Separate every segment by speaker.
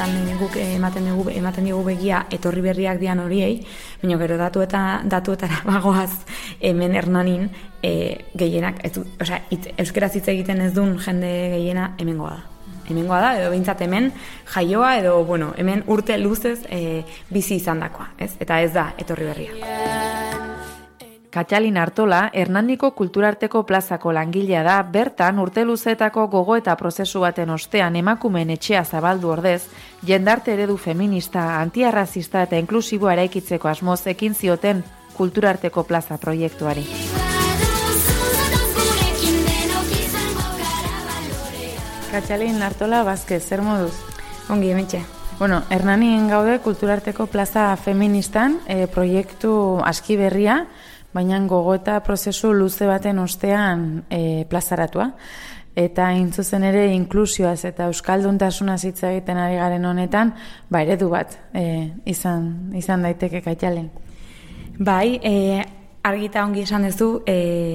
Speaker 1: batzuetan guk ematen digu begia etorri berriak dian horiei, baina gero datuetara bagoaz hemen Hernanin gehienak, euskeraz hitz egiten ez duen jende gehiena hemengoa da, edo behintzat hemen jaioa, edo hemen urte luzez bizi izandakoa, ez? Eta ez da etorri berria.
Speaker 2: Katxalin Artola, Hernaniko Kulturarteko plazako langilea da, bertan urte luzeetako gogoeta prozesu baten ostean emakumeen etxea zabaldu ordez, jendarte eredu feminista, antiarrazista eta inklusiboa eraikitzeko asmoz ekin zioten Kulturarteko plaza proiektuari. Katxalin Artola, Vázquez, zer moduz?
Speaker 1: Ongi, hementxe.
Speaker 2: Hernanin gaude Kulturarteko plaza feministan, proiektu aski berria, baina gogoeta prozesu luze baten ostean plazaratua. Eta intzuzen ere inklusioaz eta euskalduntasunaz hitz egiten ari garen honetan, eredu bat izan daiteke Katxalin.
Speaker 1: Bai, argita ongi esan duzu,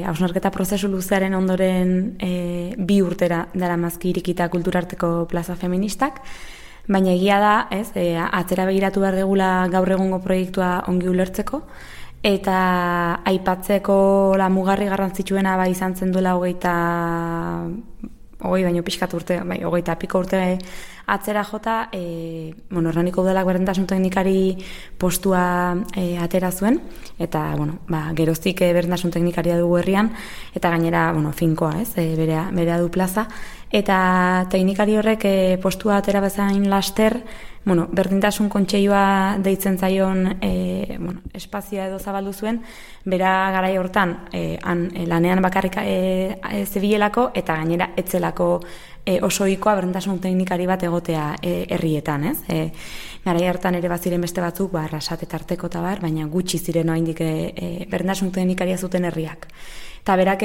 Speaker 1: hausnarketa prozesu luzearen ondoren 2 urtera daramazki irikita Kulturarteko plaza feministak, baina egia da, atzera begiratu behar degula gaur egungo proiektua ongi ulertzeko, eta aipatzeko mugarri garrantzitsuena izan zen duela 20 piko urte atzera jota, Hernaniko Udalak berdintasun teknikari postua atera zuen, eta geroztik berdintasun teknikaria dugu herrian, eta gainera finkoa, berea du plaza, eta teknikari horrek postua atera bezain laster, berdintasun kontseilua deitzen zaion espazioa edo zabaldu zuen, bera garai hortan lanean bakarrik zebilelako, eta gainera etzelako oso ohikoa berdintasun teknikari bat egotea herrietan, ez? Garai hartan ere baziren beste batzuk, Arrasate tarteko eta baina gutxi ziren oraindik berdintasun teknikaria zuten herriak. Eta berak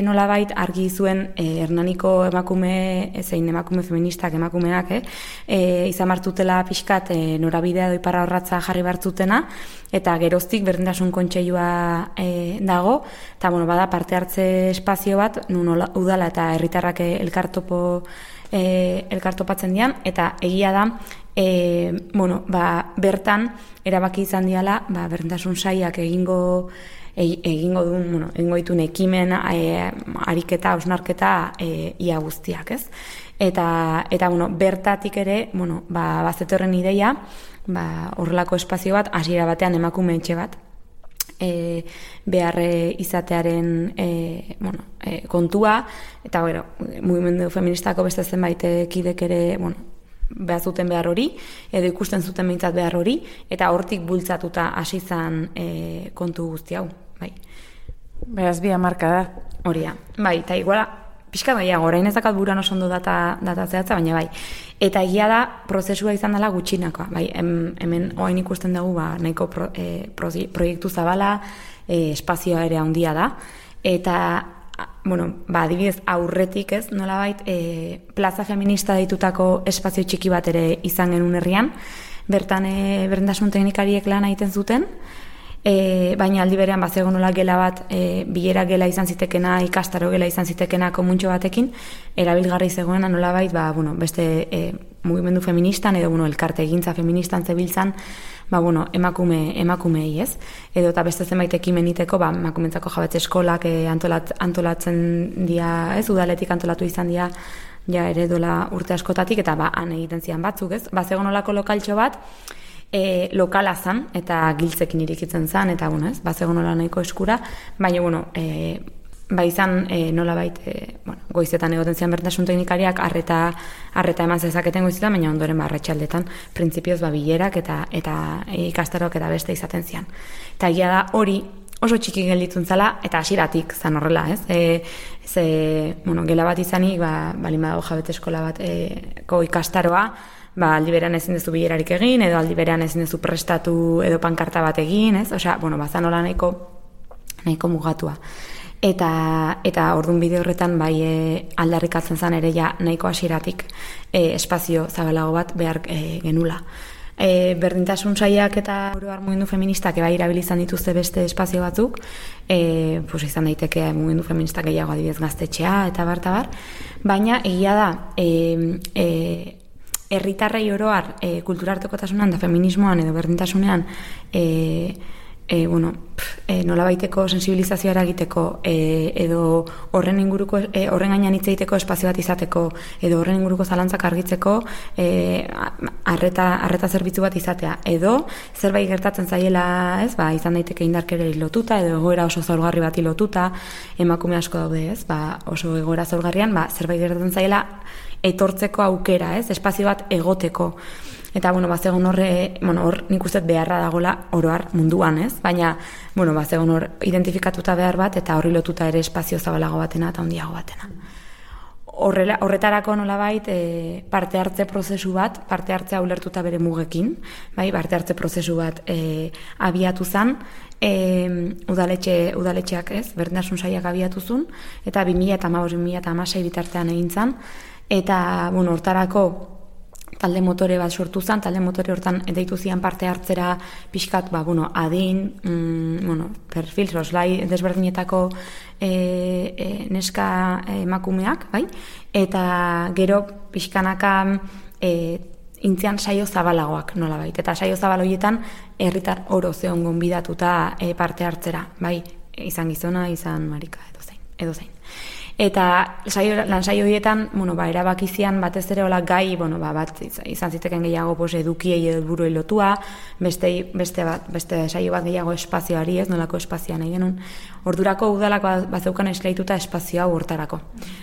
Speaker 1: nolabait argi zuen Hernaniko emakume feministak emakumeak izan martutela pixkat norabidea edo iparra horratza jarri bartzutena, eta geroztik berdintasun kontseilua dago, eta bada parte hartze espazio bat, nun udala eta herritarrak elkartopatzen dian, eta egia da, bertan erabaki izan diala, berdintasun sailak egingo ditun ekimen ariketa, hausnarketa ia guztiak, ez? Eta bertatik ere, bazetorren ideia, horrelako espazio bat, hasiera batean emakume etxe bat, behar izatearen kontua, eta mugimendu feministako beste zenbait kidek ere, behar zuten behar hori, edo ikusten zuten behintzat behar hori, eta hortik bultzatuta hasi zan kontu guzti hau.
Speaker 2: Beraz, bi hamarka da.
Speaker 1: Horia, eta iguala, pixka orain ez dakat buruan oso ondo data zehatza, baina Eta egia da, prozesua izan dela gutxinakoa. Hemen oain ikusten dugu, nahiko proiektu zabala, espazioa ere handia da, eta adibidez aurretik ez, nolabait, plaza feminista deitutako espazio txiki bat ere izan genuen herrian, bertan berdintasun teknikariek lan egiten zuten, baina aldi berean bazegoen nola gela bat, bilera gela izan zitekena, ikastaro gela izan zitekena komuntxo batekin, erabilgarri zegoena nolabait, beste mugimendu feministan, edo elkarte egintza feministan zebiltzan, emakumeei, ez? Edo eta beste zenbait ekimeniteko, emakumentzako jabetze eskolak antolatzen dira, ez? Udaletik antolatu izan dira, ja ere dola urte askotatik, eta han egiten zian batzuk, ez? Bazegoen nolako lokaltxo bat, lokala zan, eta giltzekin irikitzen zan, eta ez? Bazegoen nola nahiko eskura, baina, izan nolabait, goizetan egoten zian berdintasun teknikariak arreta eman zezaketen goizetan, baina ondoren arratsaldetan printzipioz bilerak eta ikastarok eta beste izaten zian. Eta egia da hori oso txiki gelditzen zala, eta hasieratik zan horrela, ez? Gela bat izanik, balin badago jabete eskola batko ikastaroa, aldi berean ezin duzu bilerarik egin, edo aldi berean ezin duzu prestatu edo pankarta bat egin, ez? Bazan hola nahiko mugatua. Eta orduan bide horretan aldarrikatzen zen ere ja nahiko hasieratik espazio zabalago bat behar genula. Berdintasun sailak eta oroar mugimendu feministak erabili izan dituzte beste espazio batzuk, izan daiteke mugimendu feministak gehiago adibidez gaztetxea eta bar, baina egia da herritarrei oroar kulturartekotasunean da feminismoan edo berdintasunean nolabaiteko sensibilizazioa eragiteko edo horren inguruko horren gainean hitz egiteko espazio bat izateko edo horren inguruko zalantzak argitzeko arreta zerbitzu bat izatea edo zerbait gertatzen zaiela, ez, izan daiteke indarkeriari lotuta edo egoera oso zaurgarri bati lotuta, emakume asko daude, ez, oso egoera zaurgarrian, zerbait gertatzen zaiela etortzeko aukera, ez, espazio bat egoteko. Eta, bazegon hor nik uste beharra dagoela oroar munduan, ez? Baina, bazegon hor identifikatuta behar bat eta horri lotuta ere espazio zabalago batena eta handiago batena. Horretarako nolabait parte hartze prozesu bat, parte hartzea ulertuta bere mugekin, bai, parte hartze prozesu bat abiatu zan, udaletxeak, ez? Berdintasun sailak abiatu zun, eta 2015-2016 bitartean egin zan, eta, hortarako talde motore bat sortu zen, talde motore hortan deitu zian parte hartzera pixkat, adin, perfil, soslai desberdinetako neska emakumeak, bai? Eta gero pixkanaka intzian saio zabalagoak nolabait. Eta saio zabal horietan herritar oro zeon gonbidatuta parte hartzera, bai? Izan gizona, izan marika, edozein. Eta lan saio horietan, erabakizian batez ere hola gai, bat izan ziteken gehiago edukiei edo helburuei lotua, beste saio bat gehiago espazioari, ez nolako espazioa nahi genuen. Ordurako udalak bazeukan esleituta espazio hau hortarako.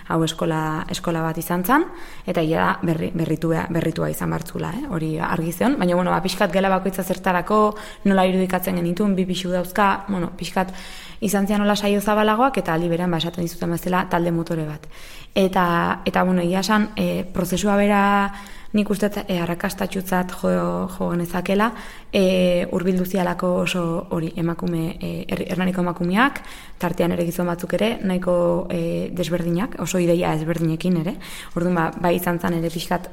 Speaker 1: Hau eskola bat izan zen, eta ia berritua izan bartzula, hori argi zeon, baina pixkat gela bakoitza zertarako nola irudikatzen genituen, bi pixu dauzka, pixkat izan zian nola saio zabalagoak, eta aliberan esaten dizuten bezala talde motore bat. Eta egia esan, prozesua bera nik uste arrakastatxutzat jo genezakela, hurbildu zialako oso hori emakume, Hernaniko emakumeak, tartean ere gizon batzuk ere, nahiko desberdinak, oso ideia desberdinekin ere. Orduan, bai izan zen ere pixkat,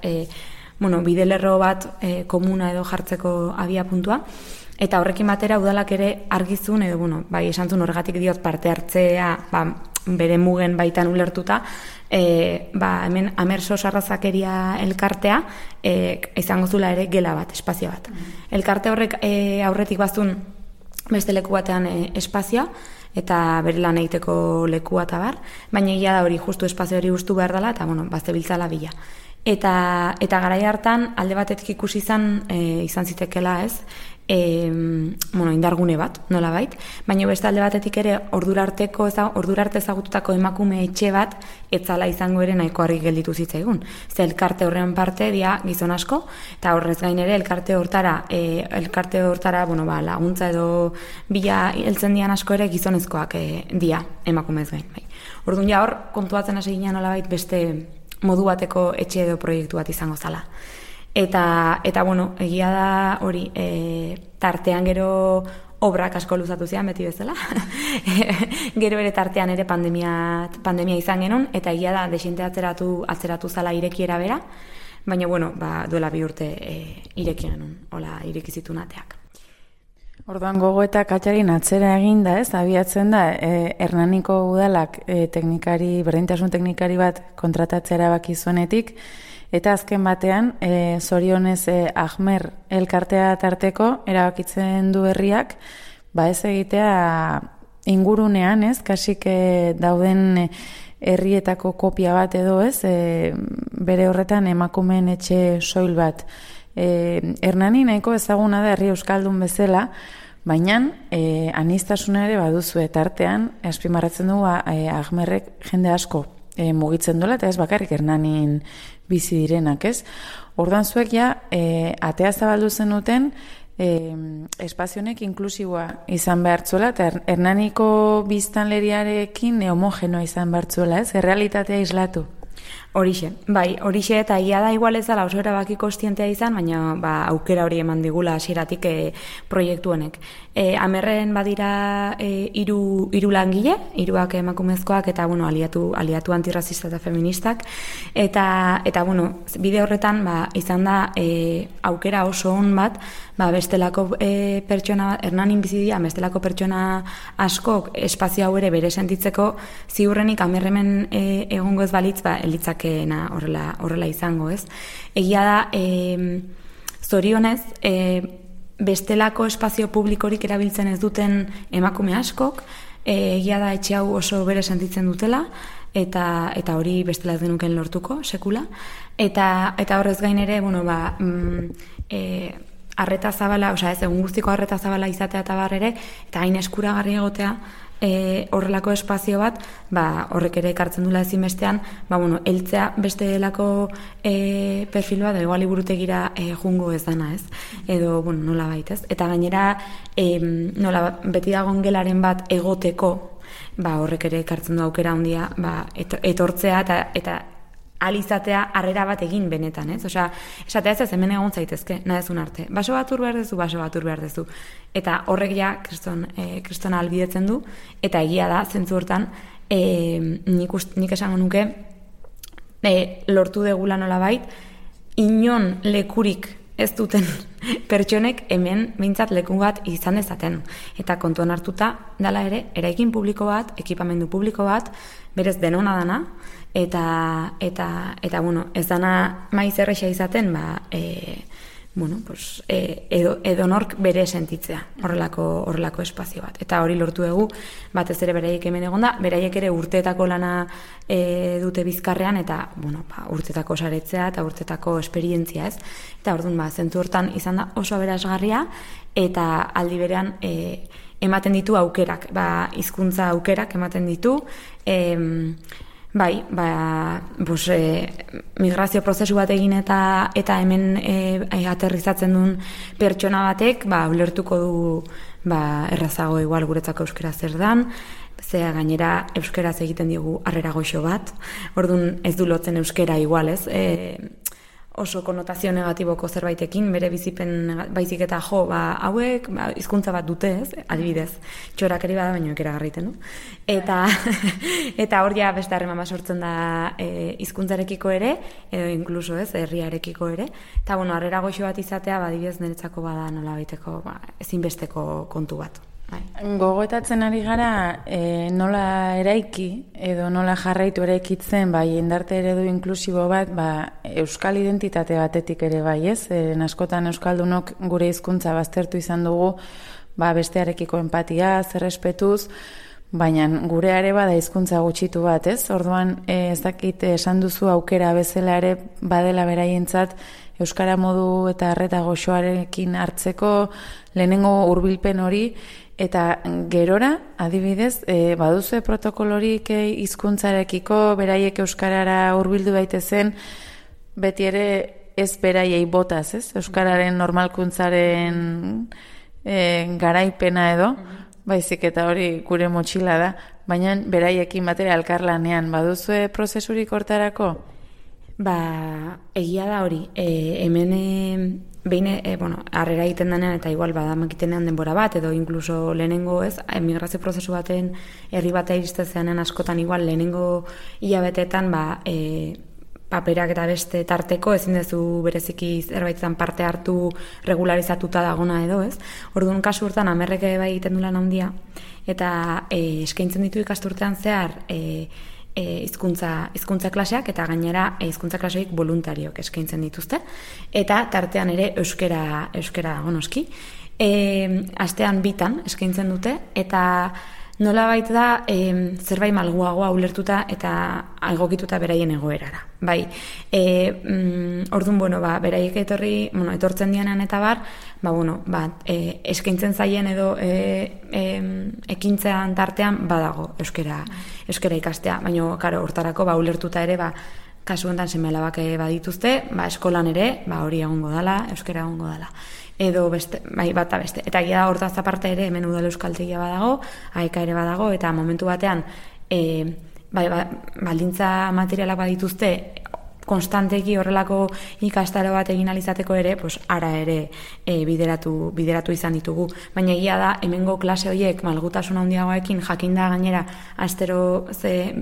Speaker 1: bidelerro bat komuna edo jartzeko abia puntua, eta horrekin batera udalak ere argizun, edo, bai esan zuen horregatik diot parte hartzea, bere mugen baitan ulertuta, hemen Amerso Sarrazakeria elkartea izango zula ere gela bat, espazio bat. Elkarte horrek aurretik bazun beste leku batean espazioa, eta bere lan egiteko lekua eta bar, baina egia da hori justu espazio hori ustu behar dela, eta bazebiltzala bila. Eta garai hartan alde batetik ikusi izan zitekela, ez, indargune bat, nolabait, baina beste alde batetik ere ordurarte ezagututako emakume etxe bat etzala izango ere nahiko argi gelditu zitzaigun. Ze elkarte horren parte dia gizon asko, eta horrez gain ere elkarte hortara laguntza edo bila heltzen dian asko ere gizonezkoak dia emakumez gain. Orduan ja hor kontuatzen hasi ginen nolabait beste modu bateko etxe edo proiektu bat izango zala. Eta egia da hori, tartean gero obrak asko luzatu zian, beti bezala. Gero ere tartean ere pandemia izan genuen, eta egia da desente atzeratu zala irekiera bera, baina duela 2 urte ireki genuen, hola ireki zituen ateak.
Speaker 2: Orduan gogo eta katxarin atzera eginda, ez, abiatzen da, Hernaniko udalak berdintasun teknikari bat kontratatzea erabaki zuenetik, eta azken batean, zorionez Ahmer elkartea tarteko erabakitzen du herriak, ez egitea ingurunean, ez, kasik dauden herrietako kopia bat edo, ez, bere horretan emakumeen etxe soil bat. Hernani nahiko ezaguna da herri euskaldun bezala, baina aniztasuna ere baduzu tartean, azpimarratzen dugu Ahmerrek jende asko mugitzen duela, eta ez bakarrik Hernanin bizi direnak, ez? Orduan zuek atea zabaldu zenuten espazionek inklusiboa izan behartzuela, eta Hernaniko biztanleriarekin homogenoa izan behartzuela, ez? Errealitatea islatu.
Speaker 1: Horixe, eta ia da igual ez dela oso erabaki kostientea izan, baina aukera hori eman digula hasieratik proiektu honek. Amerren badira 3 langile, 3 emakumezkoak eta aliatu antirrazista eta feministak, eta bide horretan izan da aukera oso on bat, bestelako pertsona, Hernanin bizidia, bestelako pertsona askok espazio hau ere bere sentitzeko ziurrenik Amerremen egongo ez balitz, elitzake litzakeena horrela izango, ez? Egia da, zorionez, bestelako espazio publikorik erabiltzen ez duten emakume askok, egia da etxe hau oso bere sentitzen dutela, eta hori bestela ez genuken lortuko, sekula. Eta horrez gain ere, arreta zabala, egun guztiko arreta zabala izatea eta bar ere, eta hain eskuragarri egotea, horrelako espazio bat, horrek ere ekartzen dula ezinbestean, heltzea bestelako perfil bat, edo liburutegira jungo ez dana, ez? Edo, nola baitez. Eta gainera, beti dagoen gelaren bat egoteko, horrek ere ekartzen du aukera handia, etortzea eta alizatea harrera bat egin benetan, ez? Esatea ez hemen egon zaitezke, nadezun arte. Baso bat ur behar dezu. Eta horrek ja kristona albidetzen du, eta egia da, zentzu hortan, nik esango nuke, lortu degula nolabait, inon lekurik ez duten pertsonek hemen behintzat leku bat izan dezaten. Eta kontuan hartuta, dala ere, eraikin publiko bat, ekipamendu publiko bat, berez denona dana, eta ez dana maiz erresa izaten, edonork bere sentitzea horrelako espazio bat. Eta hori lortu dugu, batez ere beraiek hemen egonda, beraiek ere urteetako lana dute bizkarrean, eta urteetako saretzea eta urteetako esperientzia, ez? Eta orduan, zentzu hortan izan da oso aberasgarria, eta aldi berean ematen ditu aukerak, hizkuntza aukerak ematen ditu, migrazio prozesu bat egin eta hemen aterrizatzen duen pertsona batek, ulertuko du errazago igual guretzako euskera zer dan, gainera euskeraz egiten diogu harrera goxo bat, orduan ez du lotzen euskera igual, ez? Oso konotazio negatiboko zerbaitekin, bere bizipen baizik eta hauek hizkuntza bat dute, ez? Adibidez, txorakeri bada baino ekeragarriten, no? Eta hor ja beste harreman sortzen da hizkuntzarekiko ere, edo inkluso ez, herriarekiko ere. Eta harrera goxo bat izatea, adibidez niretzako bada nolabaiteko ezinbesteko kontu bat.
Speaker 2: Gogoetatzen ari gara nola eraiki edo nola jarraitu eraikitzen jendarte eredu inklusibo bat euskal identitate batetik ere ez? Askotan euskaldunok gure hizkuntza baztertu izan dugu bestearekiko empatia, errespetuz, baina gure ere bada hizkuntza gutxitu bat, ez? Orduan ez dakit esan duzu aukera bezala ere badela beraientzat euskara modu eta arreta goxoarekin hartzeko lehenengo hurbilpen hori. Eta gerora, adibidez, baduzu protokolorik hizkuntzarekiko beraiek euskarara hurbildu daitezen, beti ere ez beraiei botaz, ez? Euskararen normalkuntzaren garaipena edo, baizik eta hori gure motxila da, baina beraiekin batera elkarlanean, baduzu prozesurik hortarako?
Speaker 1: Egia da hori, hemen harrera egiten denean eta igual badamakitenean denbora bat, edo inkluso lehenengo emigrazio prozesu baten herri bat iristezean askotan igual lehenengo hilabeteetan paperak eta beste tarteko ezin dezu bereziki zerbaitetan parte hartu regularizatuta dagona edo, ez? Orduan kasu hortan amerreke egiten du lan handia, eta eskaintzen ditu ikasturtean zehar hizkuntza klaseak, eta gainera hizkuntza klaseik voluntariok eskaintzen dituzte, eta tartean ere euskera gonoski. Astean bitan eskaintzen dute, eta nolabait da zerbait malguagoa ulertuta eta egokituta beraien egoerara. Orduan, beraiek etortzen dianean eta bar, eskaintzen zaien edo ekintzean tartean badago euskera ikastea, baina hortarako ulertuta ere kasu honetan seme-alabak badituzte, eskolan ere hori egongo dela, euskera egongo dela. Edo beste, bata beste. Eta gira hortaz aparte ere, hemen udal euskaltegia badago, AEK ere badago, eta momentu batean baldintza materialak badituzte, konstanteki horrelako ikastaro bat egin alizateko ere, ara ere bideratu izan ditugu. Baina egia da, hemengo klase horiek malgutasun handiagoekin jakinda gainera astero ze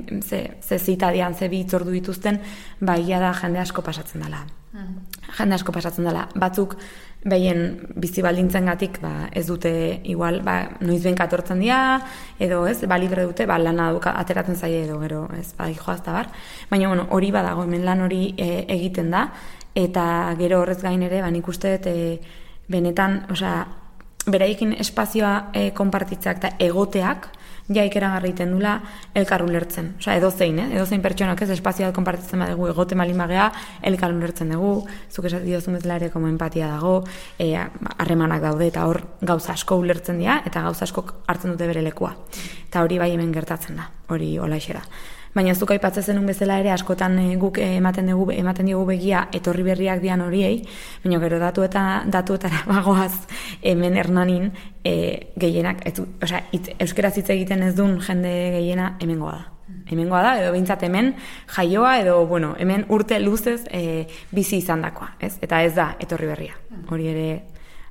Speaker 1: zitadian, ze bi hitzordu dituzten, egia da jende asko pasatzen dela. jende asko pasatzen dela. Batzuk behien bizi baldintzengatik ez dute igual, noizbehinka etortzen dira, edo ez, libre dute, lana ateratzen zaie edo gero, ez, joaz da bar. Baina, bueno, hori badago, hemen lan hori egiten da, eta gero horrez gain ere, nik uste benetan, beraiekin espazioa konpartitzeak eta egoteak, ja ikeragarri egiten dula elkar ulertzen. Edozein pertsonak ez espazioa konpartitzen badugu, egote malin bagea, elkar ulertzen dugu, zuk esati diozun bezala ere como empatia dago, harremanak daude eta hor gauza asko ulertzen dira eta gauza asko hartzen dute bere lekua. Eta hori bai hemen gertatzen da, hori holaxe da. Baina zuk aipatzen zenun bezala ere askotan guk ematen diogu begia etorri berriak dian horiei, baina gero datuetara bagoaz hemen Hernanin gehienak, euskeraz hitz egiten ez duen jende gehiena hemengoa da. Hemengoa da, edo behintzat hemen jaioa, edo hemen urte luzez bizi izandakoa, ez? Eta ez da etorri berria, hori ere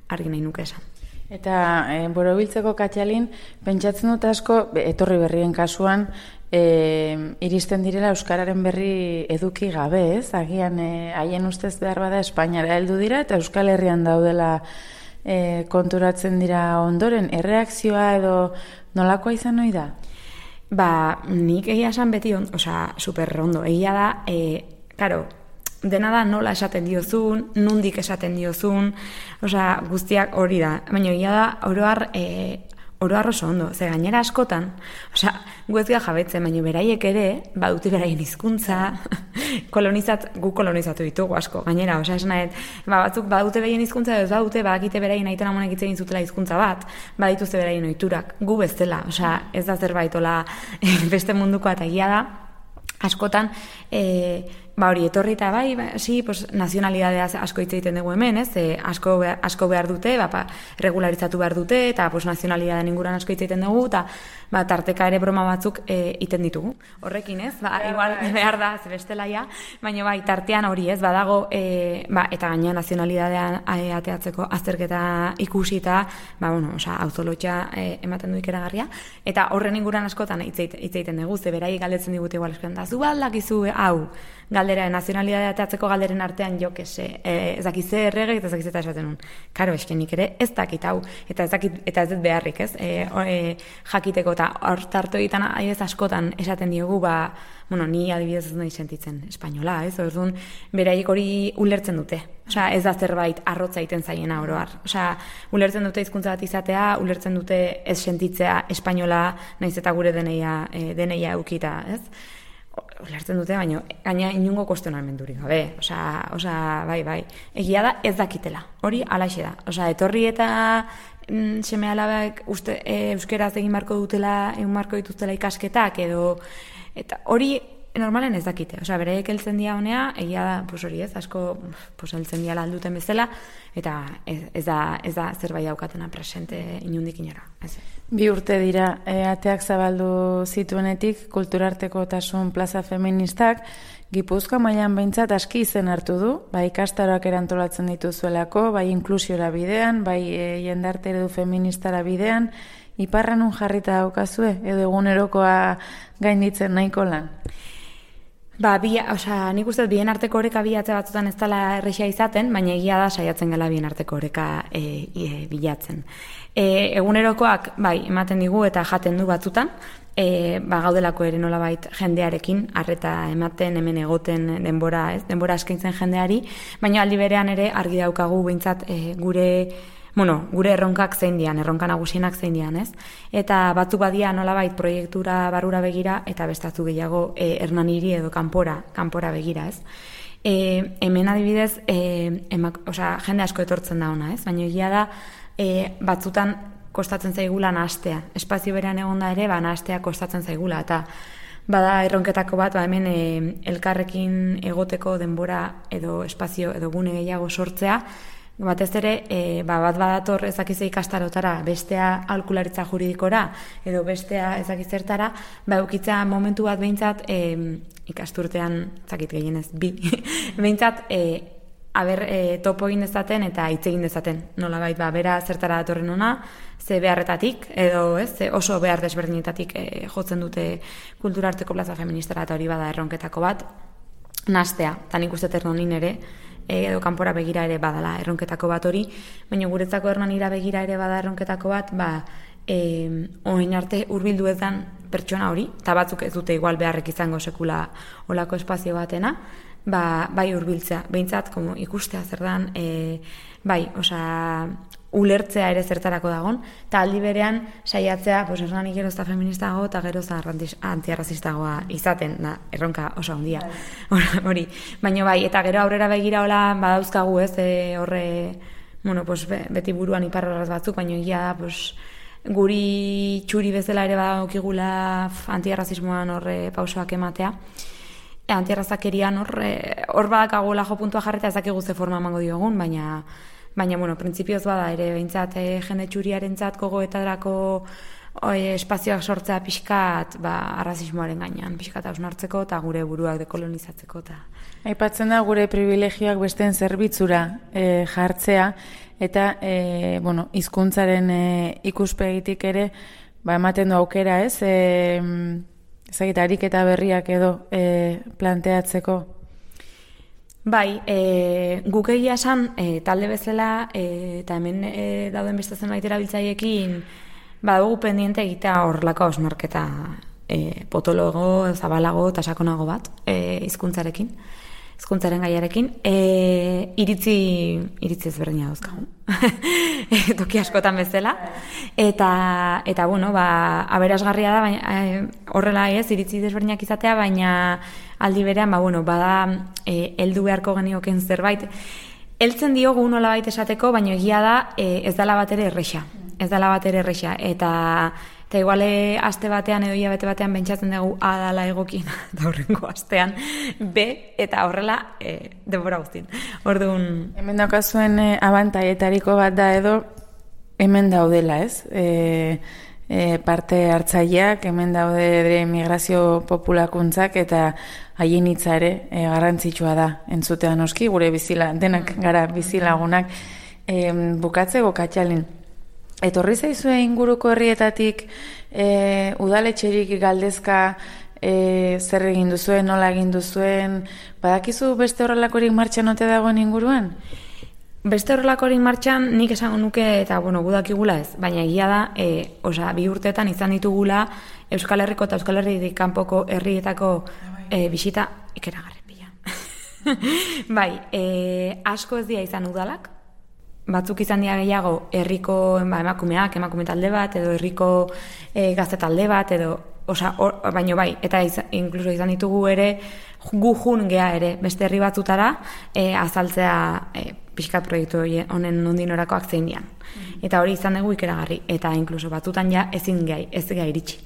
Speaker 1: argi nahi nuke esan.
Speaker 2: Eta borobiltzeko Katxalin, pentsatzen dut asko, etorri berrien kasuan, iristen direla euskararen berri eduki gabe, ez? Agian haien ustez behar bada Espainiara heldu dira eta Euskal Herrian daudela konturatzen dira ondoren, erreakzioa edo nolakoa izan ohi da?
Speaker 1: Nik egia esan beti super ondo, egia da, karo, dena da nola esaten diozun, nundik esaten diozun, guztiak hori da, baina egia da, oroar oso ondo, ze gainera askotan, gu ez gara jabetzen, baina beraiek ere, badute beraien hizkuntza, gu kolonizatu ditugu asko, gainera, esan nahi, batzuk badute beraien hizkuntza, ez badute, badakite beraien aitona monek itzegin zutela hizkuntza bat, badituzte beraien ohiturak, gu bezala, ez da zerbaitola beste mundukoa eta egia da, askotan, hori etorri eta nazionalidadea asko hitz egiten dugu hemen, ez? Asko behar dute, regularizatu behar dute, eta nazionalidadean inguruan asko hitz egiten dugu, eta tarteka ere broma batzuk egiten ditugu. Horrekin, ez? Igual behar da, bestelaia, baina tartean hori, ez? Badago, eta gaina nazionalidadean ateatzeko azterketa ikusita, auzolotxa ematen du ikeragarria, eta horren inguruan askotan hitz egiten dugu, ze beraiek galdetzen digute igual esketan da, zu baldakizu, hau, galdera, nazionalidadea ateatzeko galderen artean ez dakit ze errege eta ez dakit eta esaten nun. Karo, eskenik ere ez dakit hau, eta ez dut beharrik, ez? Jakiteko eta hartartu egiten adibidez askotan esaten diogu, ni adibidez ez nahi sentitzen espainola, ez? Orduan, beraiek hori ulertzen dute. Ez da zerbait arrotza egiten zaiena oroar. Ulertzen dute hizkuntza bat izatea, ulertzen dute ez sentitzea espainola, naiz eta gure deneia eukita, ez? Ulertzen dute, baina gaina inungo kuestionamendurik gabe. Bai. Egia da ez dakitela. Hori alaxe da. Etorri eta seme alabak euskeraz egin marko dituztela ikasketak edo eta hori normalen ez dakite. Bereek heltzen dira honea, egia da, hori ez, asko heltzen dira alduten bezala, eta ez da zerbait daukatena presente inundik inora.
Speaker 2: 2 urte dira ateak zabaldu zituenetik kulturartekotasun plaza feministak, Gipuzkoa mailan behintzat aski izen hartu du, bai ikastaroak erantolatzen dituzuelako, bai inklusiora bidean, bai jendarte eredu feministara bidean, iparra nun jarrita daukazue, edo egunerokoa gainditzen nahiko lan?
Speaker 1: Nik uste bien arteko oreka bilatze batzutan ez dela errexea izaten, baina egia da saiatzen gela bien arteko oreka bilatzen. Egunerokoak, ematen digu eta jaten du batzutan, gaudelako ere nolabait jendearekin, arreta ematen, hemen egoten denbora eskaintzen jendeari, baina aldi berean ere argi daukagu behintzat gure erronkak zein dian, erronka nagusienak zein dian, ez? Eta batzuk badia nolabait proiektura barrura begira, eta bestatu gehiago Hernaniri edo kanpora begira, ez? Hemen adibidez, jende asko etortzen da ona, ez? Baina egia da, batzutan kostatzen zaigula nahastea. Espazio berean egonda ere, nahastea kostatzen zaigula, eta bada erronketako bat, hemen elkarrekin egoteko denbora edo espazio edo gune gehiago sortzea, batez ere, bat badator ezakize ikastarotara, bestea aholkularitza juridikora, edo bestea ezakizertara, eukitza momentu bat behintzat, ikasturtean, zakit gehienez, behintzat, topo egin dezaten eta hitz egin dezaten. Nolabait, bera zertara datorren ona, ze beharretatik, edo oso behar desberdinetatik jotzen dute kulturarteko plaza feministara, eta hori bada erronketako bat, nahastea, eta nik uste Hernanin ere, edo kanpora begira ere badala erronketako bat hori, baina guretzako Hernanira begira ere bada erronketako bat, orain arte hurbildu ez dan pertsona hori, eta batzuk ez dute igual beharrek izango sekula olako espazio batena, bai hurbiltzea, behintzat ikustea zer dan, ulertzea ere zertarako dagon, eta aldi berean saiatzea, Hernani gero ez da feministago eta gero ez da antiarrazistagoa izaten, erronka oso handia hori. Baina bai, eta gero aurrera begira hola badauzkagu ez, beti buruan iparrorraz batzuk, baina egia da, guri txuri bezala ere badaukigula antiarrazismoan horre pausoak ematea. Antiarrazakerian hor badakago lajo puntua jarreta ezakigu ze forma emango diogun, baina printzipioz bada ere, behintzat jende txuriarentzat gogoetarako espazioak sortzea pixkat arrazismoaren gainean, pixkat hausnartzeko eta gure buruak dekolonizatzeko.
Speaker 2: Aipatzen da gure privilegioak besteen zerbitzura jartzea, eta hizkuntzaren ikuspegitik ere ematen du aukera, ez? Ezagita, ariketa berriak edo planteatzeko.
Speaker 1: Bai, guk egia esan, talde bezala, eta hemen dauden beste zenbait erabiltzaileekin, badugu pendiente egitea horrelako hausnarketa potologo, zabalago eta sakonago bat hizkuntzaren gaiarekin. Iritzi ezberdina dauzkagu. Toki askotan bezala. Eta aberasgarria da, horrela ez, iritzi desberdinak izatea, baina aldi berean, bada heldu beharko genioken zerbait. Heltzen diogu nolabait esateko, baina egia da ez dela bat ere erresa. Eta iguale aste batean edo hilabete batean pentsatzen dugu A dala egokiena, eta horrengo astean B, eta horrela denbora guztin. Orduan,
Speaker 2: hemen daukazuen abantaietariko bat da edo hemen daudela, ez? Parte hartzaileak, hemen daude migrazio populakuntzak, eta haien hitza ere garrantzitsua da entzutea noski, gure denak gara bizilagunak. Bukatzeko Katxalin, etorri zaizue inguruko herrietatik udaletxerik galdezka zer egin duzuen, nola egin duzuen, badakizu beste horrelakorik martxan ote dagoen inguruan?
Speaker 1: Beste horrelakorik martxan nik esango nuke, eta gudakigula ez, baina egia da, 2 urteetan izan ditugula Euskal Herriko eta Euskal Herritik kanpoko herrietako bisita ikeragarri pila. Bai, asko ez dira izan udalak, batzuk izan dira gehiago herriko emakumeak, emakume talde bat, edo herriko gazte talde bat, baina bai, eta inkluso izan ditugu ere, gu jun gea ere, beste herri batzutara, azaltzea pixkat proiektu honen nondinorakoak zein dian. Eta hori izan dugu ikeragarri, eta inkluso batzutan ja ez gea iritsi.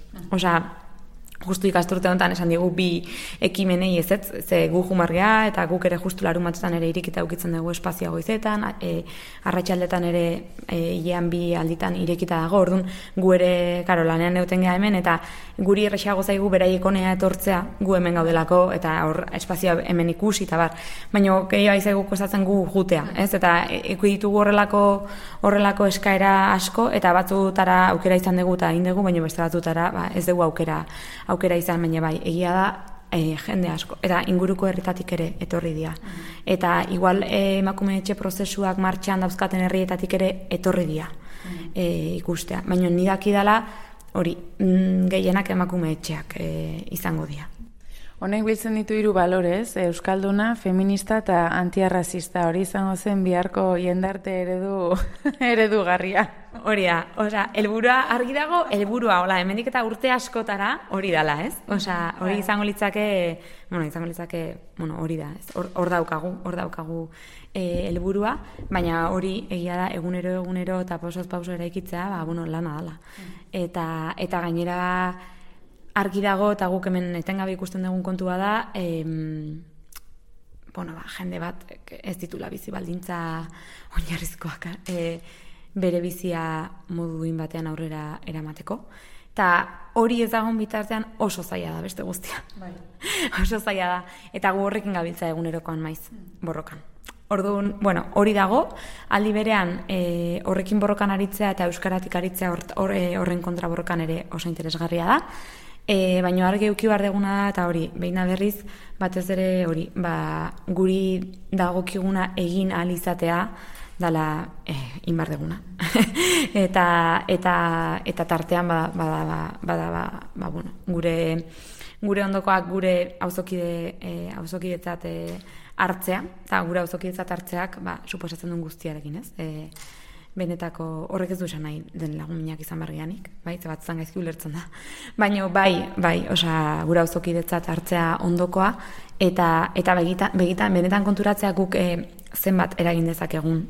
Speaker 1: Justu ikasturte honetan esan digu 2 ekimenei ezetz, ze gu jumargea, eta guk ere justu larun batzutan ere irikita ukitzen dugu espazioa goizetan, arratsaldetan ere hilean 2 alditan irekita dago, orduan gu ere lanean neuten gea hemen, eta guri erresago zaigu beraiek honea etortzea, gu hemen gaudelako, eta hor espazioa hemen ikusi, eta bar. Baina gehiago izaigu kostatzen gu jutea, ez? Eta ditugu horrelako eskaera asko, eta batzutara aukera izan dugu eta egin dugu, baina beste batzutara ez dugu aukera izan, baina bai, egia da jende asko, eta inguruko herritatik ere etorri dira. Eta igual emakume etxe prozesuak martxan dauzkaten herrietatik ere etorri dira ikustea. Baina nidaki dela hori gehienak emakume etxeak izango dira.
Speaker 2: Honek biltzen ditu 3 balorez, euskalduna, feminista eta antiarrazista. Hori izango zen biharko jendarte eredugarria.
Speaker 1: Hori da, helburua argi dago, hemendik eta urte askotara hori dala, ez? Hori izango litzake, hori da, ez? Hor daukagu helburua, baina hori egia da egunero eta pausoz pauso eraikitzea, lana dala. Eta gainera argi dago, eta guk hemen etengabe ikusten dugun kontua da, jende bat ez ditula bizi baldintza oinarrizkoak, bere bizia modu duin batean aurrera eramateko. Eta hori ez dagoen bitartean oso zaila da beste guztia. Oso zaila da. Eta gu horrekin gabiltza egunerokoan maiz, borrokan. Orduan, hori dago, aldi berean horrekin borrokan aritzea eta euskaratik aritzea horren kontra borrokan ere oso interesgarria da. Baina argi euki behar deguna da, eta hori, behin berriz, batez ere hori, guri dagokiguna egin ahal izatea, dala inbar deguna. eta tartean bueno, gure ondokoak gure auzokidetzat hartzea, eta gure auzokidetzat hartzeak suposatzen duen guztiarekin, ez? Benetako horrek ez du esan nahi den laguminak izan bargianik, bai, ze batzutan gaizki ulertzen da. Baina bai, osea, gure auzokidetzat hartzea ondokoa, eta benetan konturatzea guk zenbat eragin dezakegun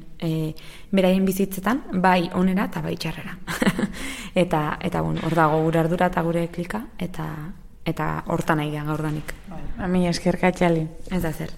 Speaker 1: beraien bizitzetan, bai onera eta bai txarrera. eta bueno, hor dago gure ardura eta gure klika, eta hortan nahi gehan gaurdanik.
Speaker 2: Ami esker Katxali.
Speaker 1: Ez da zer.